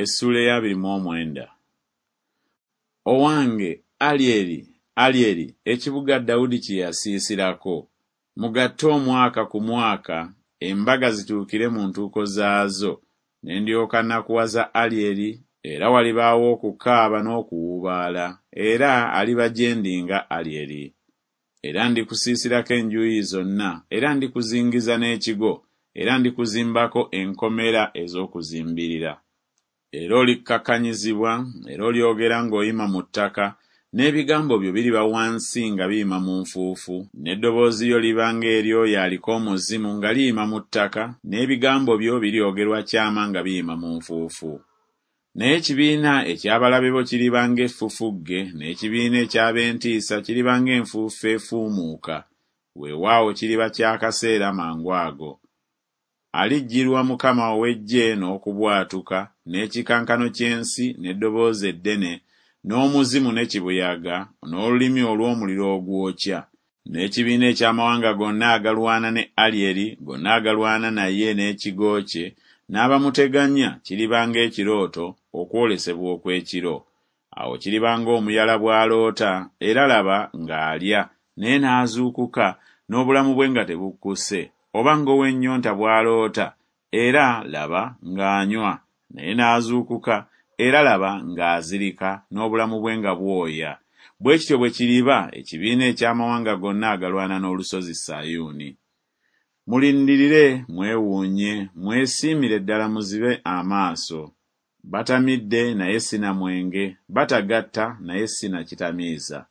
Essuula ey'abiri mu omwenda. Owange, Alyeri, Alyeri, ekibuga Dawudi kye yasiisirako! Mugatte omwaka ku mwaka, embaga zituukire mu ntuuko zaazo, ne ndyoka nnakuwaza Alyeri, era walibaawo okukaaba n'okuwuubaala, era aliba gye ndi nga Alyeri. Era ndikusiisirako enjuuyi zonna, era ndikuzingiza n'ekigo, era ndikuzimbako enkomera ez'okuzimbirira. Era olikkakkanyizibwa, era olyogera ng'oyima mu ttaka, n'ebigambo byo biriba wansi nga biyima mu nfuufu, n'eddoboozi lyo liba ng'ery'oyo aliko omuzimu nga liyima mu ttaka, n'ebigambo byo biryogerwa kyama nga biyima mu nfuufu. Naye ekibiina eky'abalabe bo kiriba ng'effufugge, n'ekibiina eky'ab'entiisa kiriba ng'enfuufu efuumuuka, weewaawo kiriba kya kaseera mangu ago. Alijjirwa Mukama ow'eggye n'okubwatuka, n'ekikankano ky'ensi, n'eddoboozi eddene, n'omuzimu ne kibuyaga, n'olulimi olw'omuliro ogwokya. N'ekibiina eky'amawanga gonna agalwana ne Alyeri, gonna agalwana naye n'ekigo kye, n'abamuteganya, kiriba ng'ekirooto, okwolesebwa okw'ekiro. Awo kiriba ng'omuyala bw'aloota, era laba, ng'alya, naye n'azuukuka, n'obulamu bwe nga tebukkuse, oba ng'ow'ennyonta bw'aloota, era, laba, ng'anywa, naye n'azuukuka, era laba, ng'azirika, n'obulamu bwe nga bwoya. Bwe kityo bwe kiriba ekibiina eky'amawanga gonna agalwana n'olusozi Sayuuni. Mulindirire, mwewuunye, mwesiimire ddala muzibe amaaso. Batamidde, naye si na mwenge, batagatta, naye si na kitamiiza.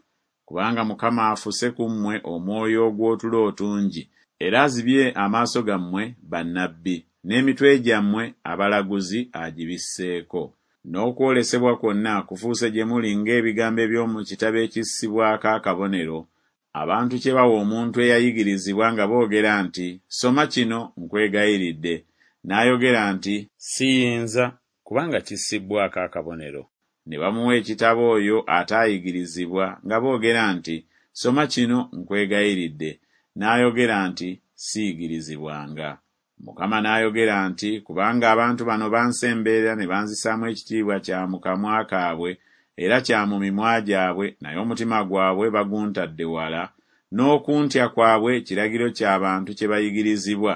Kubanga Mukama afuse ku mmwe omwoyo ogw'otulo otungi, era azibye amaaso gammwe, bannabbi, n'emitwe gyammwe, abalaguzi, agibisseeko. N'okwolesebwa kwonna kufuuse gye muli ng'ebigambo eby'omu kitabo ekissibwako akabonero, abantu kye bawa omuntu eyayigirizibwa nga boogera nti Soma kino, nkwegayiridde, n'ayogera nti Siyinza, kubanga kissibbwako akabonero. Ne bamuwa ekitabo oyo ataayigirizibwa nga boogera nti Soma kino, nkwegayiridde, n'ayogera nti Siyigirizibwanga. Mukama n'ayogera nti Kubanga abantu bano bansemberera ne banzisaamu ekitiibwa kya mu kamwa kaabwe era kya mu mimwa gyabwe, naye omutima gwabwe baguntadde wala, n'okuntya kwabwe kiragiro kya bantu kye bayigirizibwa,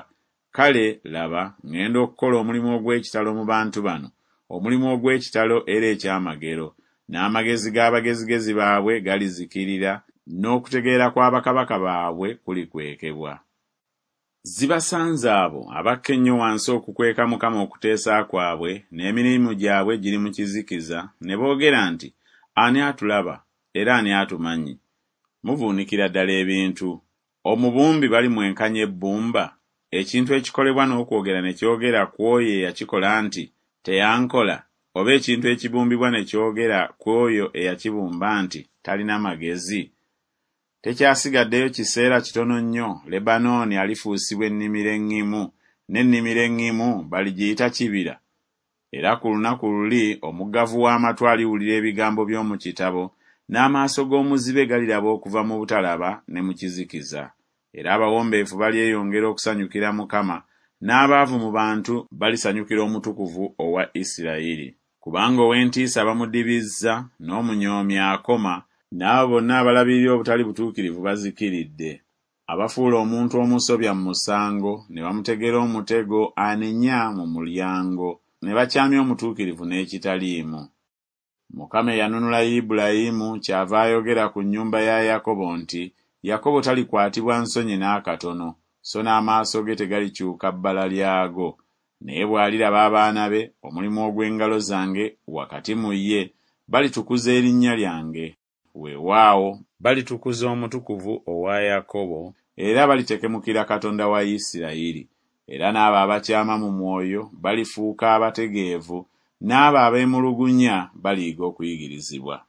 kale, laba, ŋŋenda okukola omulimu ogw'ekitalo mu bantu bano, omulimu ogw'ekitalo era eky'amagero, n'amagezi g'abagezigezi baabwe galizikirira, n'okutegeera kwa bakabaka baabwe kulikwekebwa. Zibasanze abo abakka ennyo wansi okukweka Mukama okuteesa kwabwe, n'emirimu gyabwe giri mu kizikiza, ne boogera nti Ani atulaba, era ani atumanyi? Muvuunikira ddala ebintu. Omubumbi balimwenkanya ebbumba, ekintu ekikolebwa n'okwogera ne kyogera ku oyo eyakikola nti Teyankola, oba ekintu ekibumbibwa ne kyogera ku oyo eyakibumba nti Talina magezi? Tekyasigaddeyo kiseera kitono nnyo, Lebanooni alifuusibwa ennimiro eŋŋimu, n'ennimiro eŋŋimu baligiyita kibira. Era ku lunaku luli omuggavu w'amatu aliwulira ebigambo by'omu kitabo, n'amaaso g'omuzibe galiraba okuva mu butalaba ne mu kizikiza. Era abawombeefu balyeyongera okusanyukira Mukama, n'abaavu mu bantu balisanyukira Omutukuvu owa Isirayiri. Kubanga ow'entiisa bamudibizza, n'omunyoomi akoma, n'abo bonna abalabirira obutali butuukirivu bazikiridde, abafuula omuntu omusobya mu musango, ne bamutegera omutego anenya mu mulyango, ne bakyamya omutuukirivu n'ekitaliimu. Mukama eyanunula Ibulayimu kyava ayogera ku nnyumba ya Yakobo nti Yakobo talikwatibwa nsonyi n'akatono, so n'amaaso ge tegalikyuka bbala lyago, naye bw'aliraba abaana be, omulimu ogw'engalo zange, wakati mu ye, balitukuza erinnya lyange, weewaawo, balitukuza Omutukuvu owa Yakobo, era balitekemukira Katonda wa Isirayiri. Era n'abo abakyama mu mwoyo balifuuka abategeevu, n'abo abeemulugunya baliyiga okuyigirizibwa.